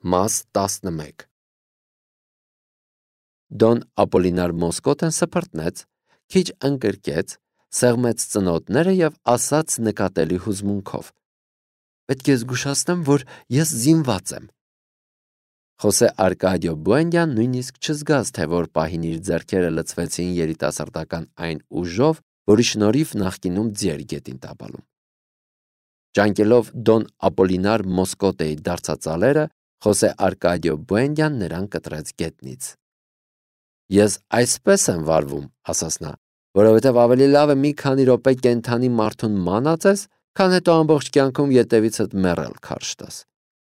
Մաս 11 Դոն Ապոլինար Մոսկոտեն սփռտնեց, քիչ ընկրկեց, սեղմեց ծնոտները և ասաց նկատելի հուզմունքով. «Պետք է զգուշացնեմ, որ ես զինված եմ»։ Խոսե Արկադիո Բուենդյան նույնիսկ չզգաց, թե որ պահին իր ձեռքերը լցվեցին երիտասարդական այն ուժով, որի շնորհիվ նախկինում ձիեր գետին տապալում։ Ճանկելով Դոն Ապոլինար Մոսկոտեի դարձածալերը, Խոսե Արկադիո Բուենդյան նրան կտրեց գետնից։ «Ես այսպես եմ վարվում», ասաց նա, «որովհետև ավելի լավ է մի քանի րոպե կենդանի մարդուն մանածես, քան հետո ամբողջ կյանքում ետևիցդ մեռել քարշ տաս»։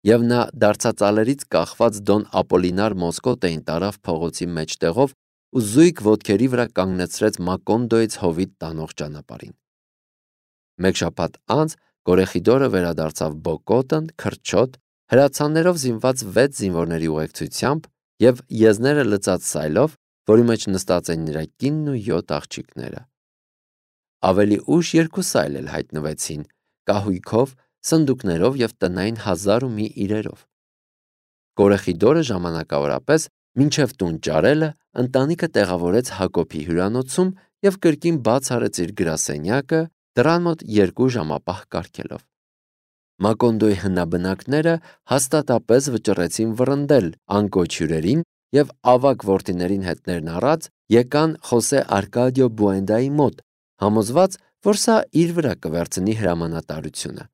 Եվ նա դարձածալերից կախված Դոն Ապոլինար Մոսկոտեին տարավ փողոցի մեջտեղով ու զույգ ոտքերի վրա կանգնեցրեց Մակոնդոյից հովիտ տանող ճանապարհին։ Մեկ շաբաթ անց Կորեխիդորը վերադարձավ Բոկոտն, քրչոտ, հրացաններով զինված 6 զինվորների ուղեկցությամբ և եզները լցած սայլով, որի մեջ նստած էին նրա կինն ու 7 աղջիկները։ Ավելի ուշ 2 սայլ էլ հայտնվեցին, կահույքով, սնդուկներով և տնային 1001 իրերով։ Կորեխիդորը ժամանակավորապես մինչև տուն ճարելը ընտանիքը տեղավորեց Հակոբի հյուրանոցում և կրկին բաց արեց իր գրասենյակը, դռան մոտ 2 ժամապահ կարգելով։ Մակոնդոյի հնաբնակները հաստատապես վճռեցին վռնդել անկոչ հյուրերին և ավագ որդիներին հետներն առած եկան Խոսե Արկադիո Բուենդայի մոտ, համոզված, որ սա իր վրա կվերցնի հրամանատարությունը։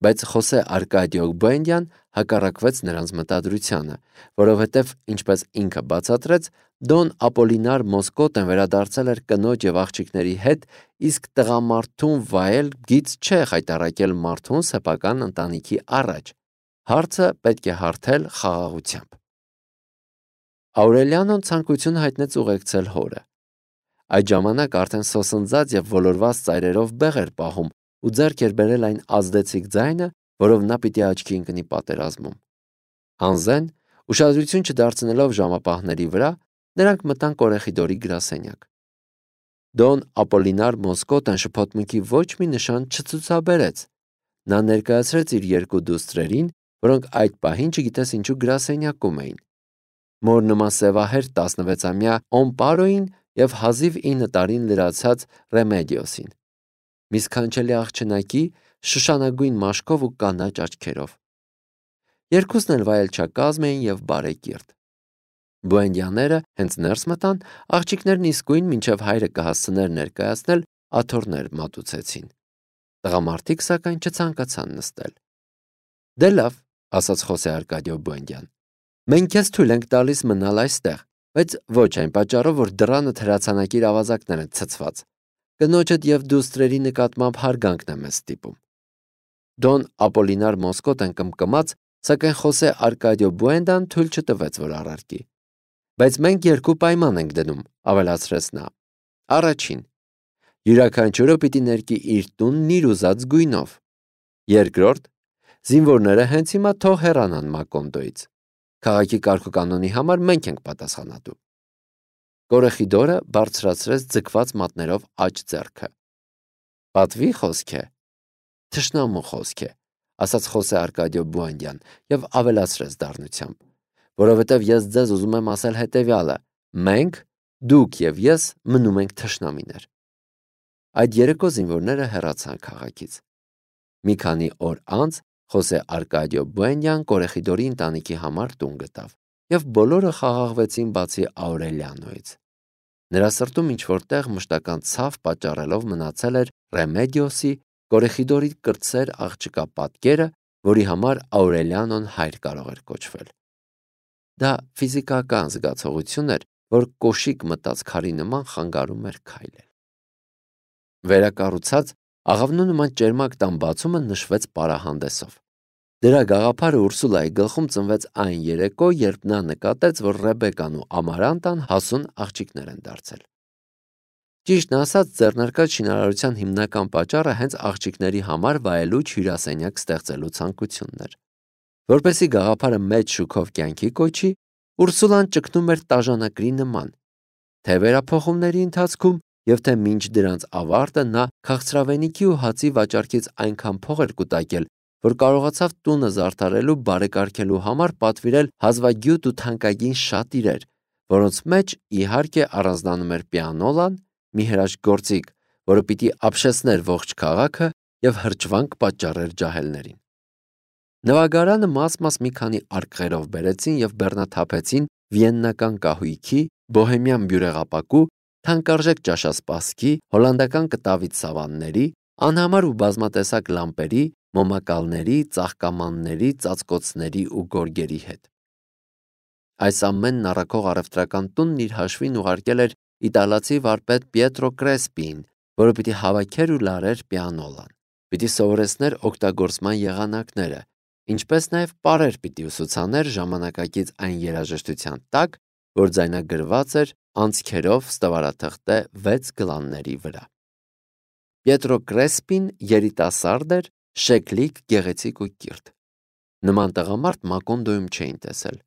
Բայց Խոսե Արկադիո Բուենդյան հակառակվեց նրանց մտադրությանը, որովհետև, ինչպես ինքը բացատրեց, Դոն Ապոլինար Մոսկոտեն վերադարձել էր կնոջ և աղջիկների հետ, իսկ տղամարդուն վայել գիծ չէ խայտառակել մարդուն սեփական ընտանիքի առաջ։ Հարցը պետք է հարթել խաղաղությամբ։ Աուրելիանոն ցանկություն հայտնեց ուղեկցել հորը։ Այդ ժամանակ արդեն սոսնձած և ոլորված ծայրերով բեղ էր պահում ու ձեռք էր բերել այն ազդեցիկ ձայնը, որով նա պիտի աչքի ընկնի պատերազմում։ Անզեն, ուշադրություն չդարձնելով ժամապահների վրա, նրանք մտան Կորեխիդորի գրասենյակ։ Դոն Ապոլինար Մոսկոտեն շփոթմունքի ոչ մի նշան չցուցաբերեց։ Նա ներկայացրեց իր 2 դուստրերին, որոնք այդ պահին չգիտես ինչու գրասենյակում էին։ Մոր նման սևահեր 16-ամյա Օմպարոին և հազիվ 9 տարին լրացած Ռեմեդիոսին։ Մի սքանչելի աղջնակի շշանագույն մաշկով ու կանաչ աչքերով։ Երկուսն էլ վայելչակազմ էին և բարեկիրթ։ Բուենդյաները հենց ներս մտան, աղջիկներն իսկույն մինչև հայրը կհասցներ ներկայացնել, աթոռներ մատուցեցին։ Տղամարդիկ, սակայն, չցանկացան նստել։ «Դե լավ», ասաց Խոսե Արկադիո Բուենդյան, «մենք քեզ թույլ ենք տալիս մնալ այստեղ, բայց ոչ այն պատճառով, որ դռանդ հրացանակիր ավազակներ են ցցված։ Կնոջդ և դուստրերի նկատմամբ հարգանքն է մեզ ստիպում»։ Դոն Ապոլինար Մոսկոտեն կմկմաց, սակայն Խոսե Արկադիո Բուենդան թույլ չտվեց, որ առարկի։ «Բայց մենք 2 պայման ենք դնում», ավելացրեց նա։ Առաջին. յուրաքանչյուրը պիտի ներկի իր տունն իր ուզած գույնով։ Երկրորդ. զինվորները հենց հիմա թող հեռանան Մակոնդոյից։ Քաղաքի կարգուկանոնի համար մենք ենք պատասխանատու։ Կորեխիդորը բարձրացրեց ձգված մատներով աջ ձեռքը։ «Պատվի խոսք է»։ «Թշնամու խոսք է», ասաց Խոսե Արկադիո Բուենդյան և ավելացրեց դառնությամբ, որովհետև ես ձեզ ուզում եմ ասել հետևյալը. մենք, դուք և ես մնում ենք թշնամիներ։ Այդ երեկո զինվորները հեռացան քաղաքից։ Մի քանի օր անց Խոսե Արկադիո Բուենդյան Կորեխիդորի ընտանիքի համար տուն գտավ, և բոլորը խաղաղվեցին բացի Աուրելիանոյից։ Նրա սրտում ինչ-որ տեղ մշտական ցավ պատճառելով մնացել էր Ռեմեդիոսի, Կորեխիդորի կրտսեր աղջկա պատկերը, որի համար Աուրելիանոն հայր կարող էր կոչվել։ Դա ֆիզիկական զգացողություն էր, որ կոշիկ մտած քարի նման խանգարում էր քայլել։ Վերակառուցած աղավնու նման ճերմակ տան բացումը նշվեց պարահանդեսով։ Դրա գաղափարը Ուրսուլայի գլխում ծնվեց այն երեկո, երբ նա նկատեց, որ Ռեբեկան ու Ամարանտան հասուն աղջիկներ են դարձել։ Ճիշտն ասած, ձեռնարկած շինարարության հիմնական պատճառը հենց աղջիկների համար վայելուչ հյուրասենյակ ստեղծելու ցանկությունն էր։ Որպեսզի գաղափարը մեծ շուքով կյանքի կոչի, Ուրսուլան ճգնում էր տաժանակրի նման։ Թե վերափոխումների ընթացքում և թե մինչ դրանց ավարտը նա քաղցրավենիքի ու հացի վաճառքից այնքան փող էր կուտակել, որ կարողացավ տունը զարդարելու բարեկարգելու համար պատվիրել հազվագյուտ ու թանկագին շատ իրեր, որոնց մեջ իհարկե առանձնանում էր պիանոլան, մի հրաշք գործիք, որը պիտի ապշեցներ ողջ քաղաքը եւ հրճվանք պատճառեր ջահելներին։ Նվագարանը մաս-մաս մի քանի արկղերով բերեցին եւ բեռնաթափեցին վիեննական կահույքի, բոհեմյան բյուրեղապակու, թանկարժեք ճաշասպասքի, հոլանդական կտավի սավանների, անհամար ու բազմատեսակ լամպերի, մոմակալների, ծաղկամանների, ծածկոցների ու գորգերի հետ։ Այս ամենն առաքող առևտրական տունն իր հաշվին ուղարկել էր իտալացի վարպետ Պիետրո Կրեսպիին, որը պիտի հավաքեր ու լարեր պիանոլան, պիտի սովորեցներ օգտագործման եղանակները, ինչպես նաև պարեր պիտի ուսուցաներ ժամանակակից այն երաժշտության տակ, որ ձայնագրված էր անցքերով ստվարաթղթե 6 գլանների վրա։ Պիետրո Կրեսպին երիտասարդ էր, շեքլիկ, գեղեցիկ ու կիրթ։ Նման տղամարդ Մակոնդոյում չէին տեսել։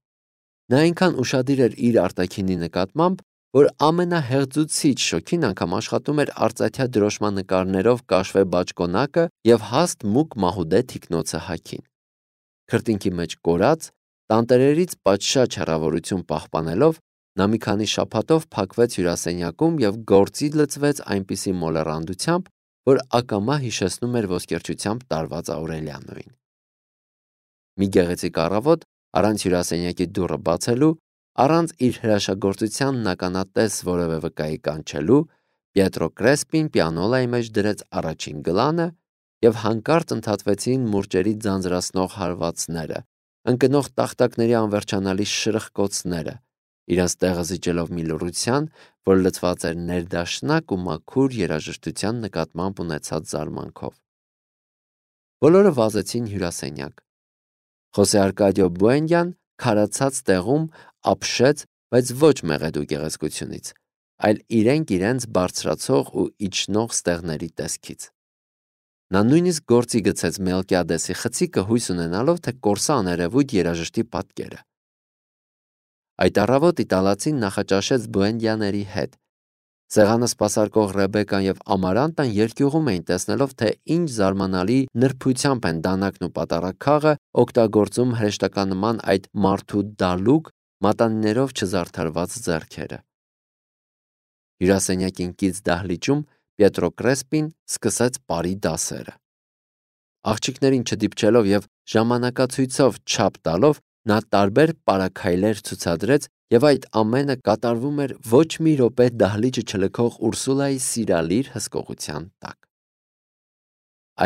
Նա այնքան ուշադիր էր իր արտաքինի նկատմամբ, որ ամենահեղձուցիչ շոգին անգամ աշխատում էր արծաթյա դրոշման նկարներով կաշվե բաճկոնակը եւ հաստ մուգ մահուդե թիկնոցը հագին։ Քրտինքի մեջ կորած, տանտերերից պատշաճ հեռավորություն պահպանելով, նա մի քանի շաբաթով փակվեց հյուրասենյակում եւ գործի լծվեց այնպիսի մոլեռանդությամբ, որ ակամա հիշեցնում էր ոսկերչությամբ տարված Աուրելիանոին։ Մի գեղեցիկ առավոտ, առանց հյուրասենյակի դուռը բացելու, առանց իր հրաշագործությանն ականատես որևէ վկայի կանչելու, Պիետրո Կրեսպին պիանոլայի մեջ դրեց առաջին գլանը եւ հանկարծ ընդհատվեցին մուրճերի ձանձրացնող հարվածները, ընկնող տախտակների անվերջանալի շրխկոցները, իրենց տեղը զիջելով մի լռության, որ լցված էր ներդաշնակ ու մաքուր երաժշտության նկատմամբ ունեցած զարմանքով։ Բոլորը վազեցին հյուրասենյակ։ Խոսե Արկադիո Բուենդյան քարացած տեղում ապշեց, բայց ոչ մեղեդու գեղեցկությունից, այլ իրենք բարձրացող ու իջնող ստեղների տեսքից։ Նա նույնիսկ գործի գցեց Մելկիադեսի խցիկը հույս ունենալով, թե կորսա աներևույթ երաժշտի պատկերը։ Այդ առավոտ իտալացին նախաճաշեց Բուենդյաների հետ։ Սեղանը սպասարկող Ռեբեկան եւ Ամարանտան երկյուղում էին տեսնելով, թե ինչ զարմանալի նրբությամբ են դանակն ու պատարագ օգտագործում հրեշտականնման այդ մարդու դալուկ, մատանիներով չզարդարված ձեռքերը։ Հյուրասենյակին կից դահլիճում Պիետրո Կրեսպին սկսեց պարի դասերը։ Աղջիկներին չդիպչելով եւ ժամանակացույցով չափ տալով, նա տարբեր պարաքայլեր ցուցադրեց եւ այդ ամենը կատարվում էր ոչ մի րոպե դահլիճը չլքող Ուրսուլայի սիրալիր հսկողության տակ։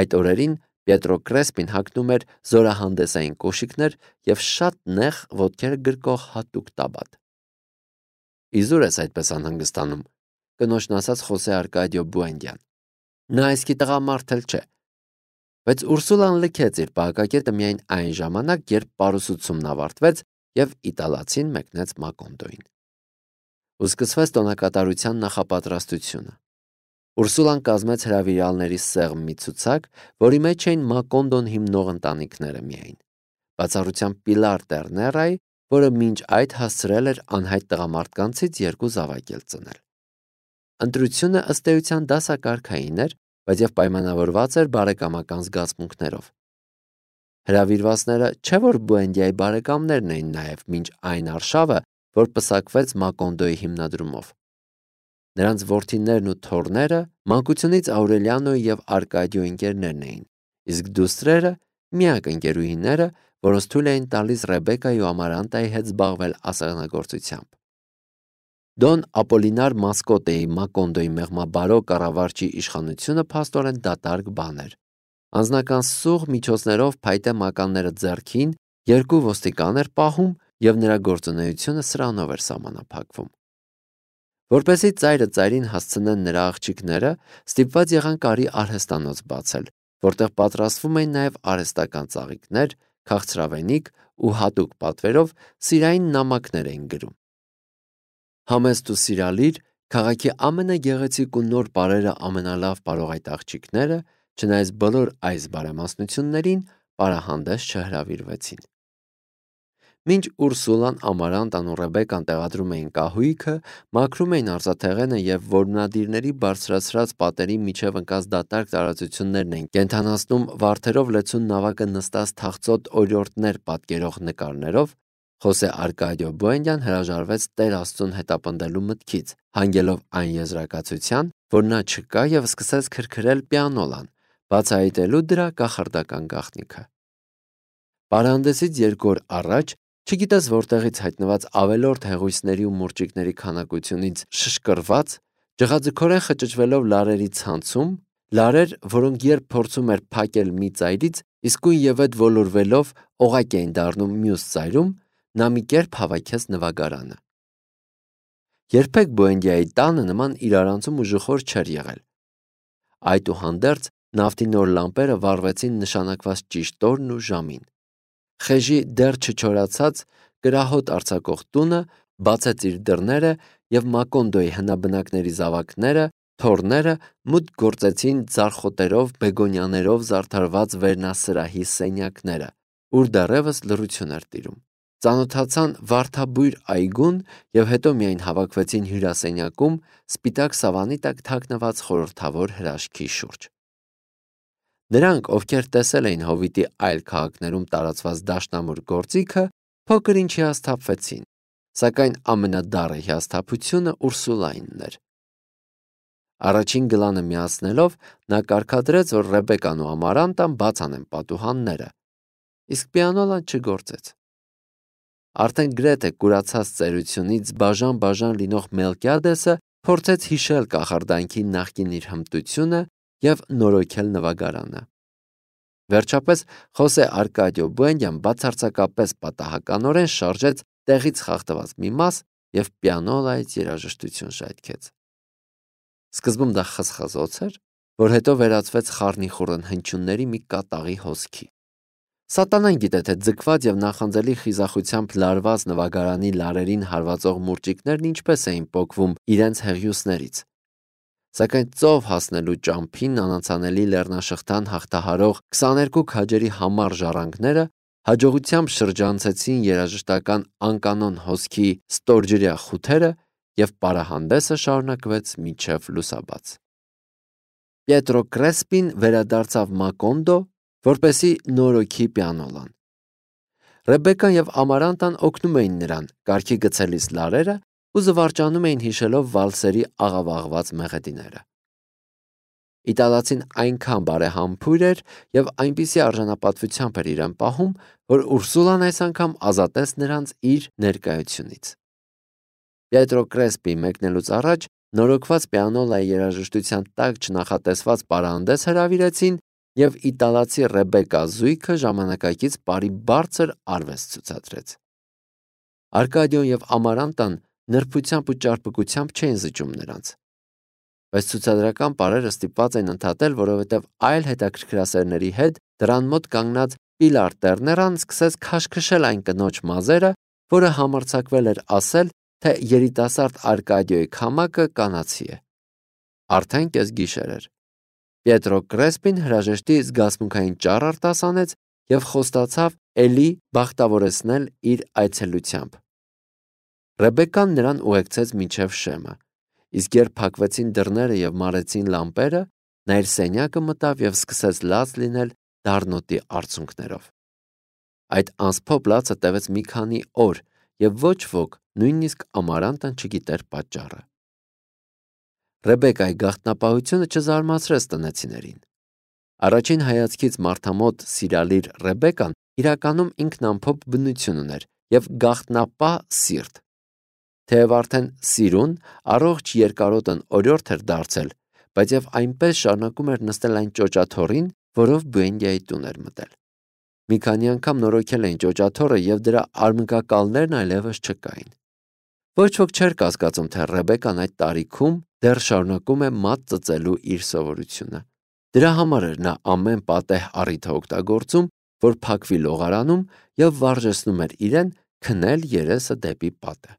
Այդ օրերին Պիետրո Կրեսպին հագնում էր զորահանդեսային կոշիկներ եւ շատ նեղ ոտքերը գրկող հատուկ տաբատ։ Իզուր ես այդպես անհանգստանում, կնոջն ասաց Խոսե Արկադիո Բուենդյան։ Նա այսքի տղամարդ էլ չէ։ Բայց Ուրսուլան լքեց իր պահակակետը միայն այն ժամանակ, երբ պարուսուցումն ավարտվեց եւ իտալացին մեկնեց Մակոնդոյին։ Ու սկսվեց տոնակատարության նախապատրաստությունը։ Ուրսուլան կազմեց հրավիրալների սեղմ մի ցուցակ, որի մեջ էին Մակոնդոն հիմնող ընտանիքները միայն, բացառությամբ Պիլար Տերներայի, որը մինչ այդ հասցրել էր անհայտ տղամարդկանցից 2 զավակել ծնել։ Ընտրությունը ըստ էության դասակարգային էր, բայց եւ պայմանավորված էր բարեկամական զգացմունքներով։ Հրավիրվածները չէ որ Բուենդիայի բարեկամներն էին նաև մինչ այն արշավը, որ պսակվեց Մակոնդոյի հիմնադրումով։ Նրանց որդիներն ու թոռները մանկությունից Աուրելիանոյի եւ Արկադիո ընկերներն էին, իսկ դուստրերը միակ ընկերուհիները, որոնց թույլ էին տալիս Ռեբեկայի ու Ամարանտայի հետ զբաղվել ասեղնագործությամբ։ Դոն Ապոլինար Մասկոտեի Մակոնդոյի մեղմաբարո կառավարչի իշխանությունը փաստորեն դատարկ բան էր։ Անձնական սուղ միջոցներով փայտե մականները ձեռքին 2 ոստիկան էր պահում եւ նրա գործունեությունը սրանով էր սահմանափակվում։ Որպեսզի ծայրը ծայրին հասցնեն նրա աղջիկները, ստիպված եղան կարի արհեստանոց բացել, որտեղ պատրաստվում էին նաեւ արհեստական ծաղիկներ, քաղցրավենիք ու հատուկ պատվերով սիրային նամակներ էին գրում։ Համեստ ու սիրալիր, քաղաքի ամենագեղեցիկ ու նոր պարերը ամենալավ պարող այդ աղջիկները, չնայած բոլոր այս բարեմասնություններին, պարահանդես չհրավիրվեցին։ Մինչ Ուրսուլան, Ամարանտան ու Ռեբեկան տեղադրում էին կահույքը, մաքրում էին արծաթեղենը եւ որմնադիրների բարձրացրած պատերի միջև ընկած դատարկ տարածություններն էին կենթանացնում վարդերով լեցուն նավակը նստած թախծոտ օրիորդներ պատկերող նկարներով, Խոսե Արկադիո Բուենդյան հրաժարվեց Տեր Աստծուն հետապնդելու մտքից, հանգելով այն եզրակացության, որ նա չկա եւ սկսեց քրքրել պիանոլան, բացահայտելու դրա կախարդական գաղտնիքը։ Պարանդեսից 2 օր առաջ, չգիտես որտեղից հայտնված ավելորդ հեղույցների ու մուրճիկների քանակությունից շշկռված, ջղաձգորեն խճճվելով լարերի ցանցում, լարեր, որոնք երբ փորձում էր փակել մի ծայրից, իսկույն եւ այդ ոլորվելով օղակ էին դառնում մյուս ծայրում, նա մի կերպ հավաքեց նվագարանը։ Երբեք Բուենդիայի տանը նման իրարանցում ու ժխոր չէր եղել։ Այդուհանդերձ նավթի նոր լամպերը վառվեցին նշանակված ճիշտ օրն ու ժամին։ Խեժի դեռ չչորացած կրահոտ արձակող տունը բացեց իր դռները եւ Մակոնդոյի հնաբնակների զավակները, թոռները մուտք գործեցին ձարխոտերով, բեգոնյաներով զարդարված վերնասրահի սենյակները, ուր դեռևս լռություն էր տիրում։ Ծանոթացան վարդաբույր այգուն եւ հետո միայն հավաքվեցին հյուրասենյակում սպիտակ սավանի տակ թաքնված խորհրդավոր հրաշքի շուրջ։ Նրանք, ովքեր տեսել էին Հովիտի այլ քաղաքներում տարածված դաշնամուր գործիքը, փոքր ինչ հիասթափվեցին, սակայն ամենադառը հիասթափությունը Ուրսուլայինն էր։ Առաջին գլանը միացնելով նա կարգադրեց, որ Ռեբեկան ու Ամարանտան բաց անեն պատուհանները, իսկ պիանոլան չգործեց։ Արդեն գրեթե կուրացած ծերությունից բաժան լինող Մելկիադեսը փորձեց հիշել կախարդանքի նախկին իր հմտությունը եւ նորոգել նվագարանը։ Վերջապես Խոսե Արկադիո Բուենդյան բացարձակապես պատահականորեն շարժեց տեղից խախտված մի մաս եւ պիանոլայից երաժշտություն շայթքեց։ Սկզբում դա խսխզոց էր, որ հետո վերածվեց խառնիխուռն հնչյունների մի կատաղի հոսքի։ Սատանան գիտե, թե ձգված եւ նախանձելի խիզախությամբ լարված նվագարանի լարերին հարվածող մուրճիկներն ինչպես էին պոկվում իրենց հեղիուսներից։ Սակայն ծով հասնելու ճամփին անանցանելի լեռնաշղթան հաղթահարող 22 քաջերի համառ ժառանգները հաջողությամբ շրջանցեցին երաժշտական անկանոն հոսքի ստորջրյա խութերը եւ պարահանդեսը շարունակվեց մինչեւ լուսաբաց։ Պիետրո Կրեսպին վերադարձավ Մակոնդո, որպեսի նորոգի պիանոլան։ Ռեբեկան եւ Ամարանտան օգնում էին նրան կարգի գցելիս լարերը ու զվարճանում էին հիշելով վալսերի աղավաղված մեղեդիները։ Իտալացին այնքան բարեհամբույր էր եւ այնպիսի արժանապատվությամբ էր իրեն պահում, որ Ուրսուլան այս անգամ ազատեց նրանց իր ներկայությունից։ Պիետրո Կրեսպի մեկնելուց առաջ նորոգված պիանոլայի երաժշտության տակ չնախատեսված պարանդես հրավիրեցին եւ իտալացի Ռեբեկա զույգը ժամանակակից բարի բարձր արվեստ ցուցադրեց։ Արկադիոն եւ Ամարանտան նրբությամբ ու ճարպկությամբ չէին զիջում նրանց, բայց ցուցադրական պարերը ստիպված էին ընդհատել, որովհետեւ այլ հետաքրքրասերների հետ դրան մոտ կանգնած Պիլար Տերներան սկսեց քաշքշել այն կնոջ մազերը, որը համարձակվել էր ասել, թե երիտասարդ Արկադիոյի քամակը կանացի է։ Արդեն կես գիշեր էր։ Պիետրո Կրեսպին հրաժեշտի զգացմունքային ճառ արտասանեց եւ խոստացավ էլի բախտավորեցնել իր այցելությամբ։ Ռեբեկան նրան ուղեկցեց մինչև շեմը, իսկ երբ փակվեցին դռները եւ մարեցին լամպերը, նա իր սենյակը մտավ եւ սկսեց լաց լինել դառնոտի արցունքներով։ Այդ անսփոփ լացը տևեց մի քանի օր եւ ոչ ոք, նույնիսկ Ամարանտան չգիտեր պատճառը։ Ռեբեկայի գաղտնապահությունը չզարմացրեց տնեցիներին։ Առաջին հայացքից մարդամոտ սիրալիր Ռեբեկան իրականում ինքնամփոփ բնություն ուներ եւ գաղտնապահ սիրտ։ Թեև արդեն սիրուն, առողջ երկարոտն օրիորդ էր դարձել, բայց եւ այնպես շարունակում էր նստել այն ճոճաթոռին, որով Բուենդիայի տուն էր մտել։ Մի քանի անգամ նորոգել էին ճոճաթոռը եւ դրա արմկակալներն այլևս չկային։ Ոչ ոք չէր կասկածում, թե Ռեբեկան այդ տարիքում դեռ շարունակում է մատ ծծելու իր սովորությունը։ Դրա համար էր նա ամեն պատեհ առիթը օգտագործում, որ փակվի լողարանում եւ վարժեցնում էր իրեն քնել երեսը դեպի պատը։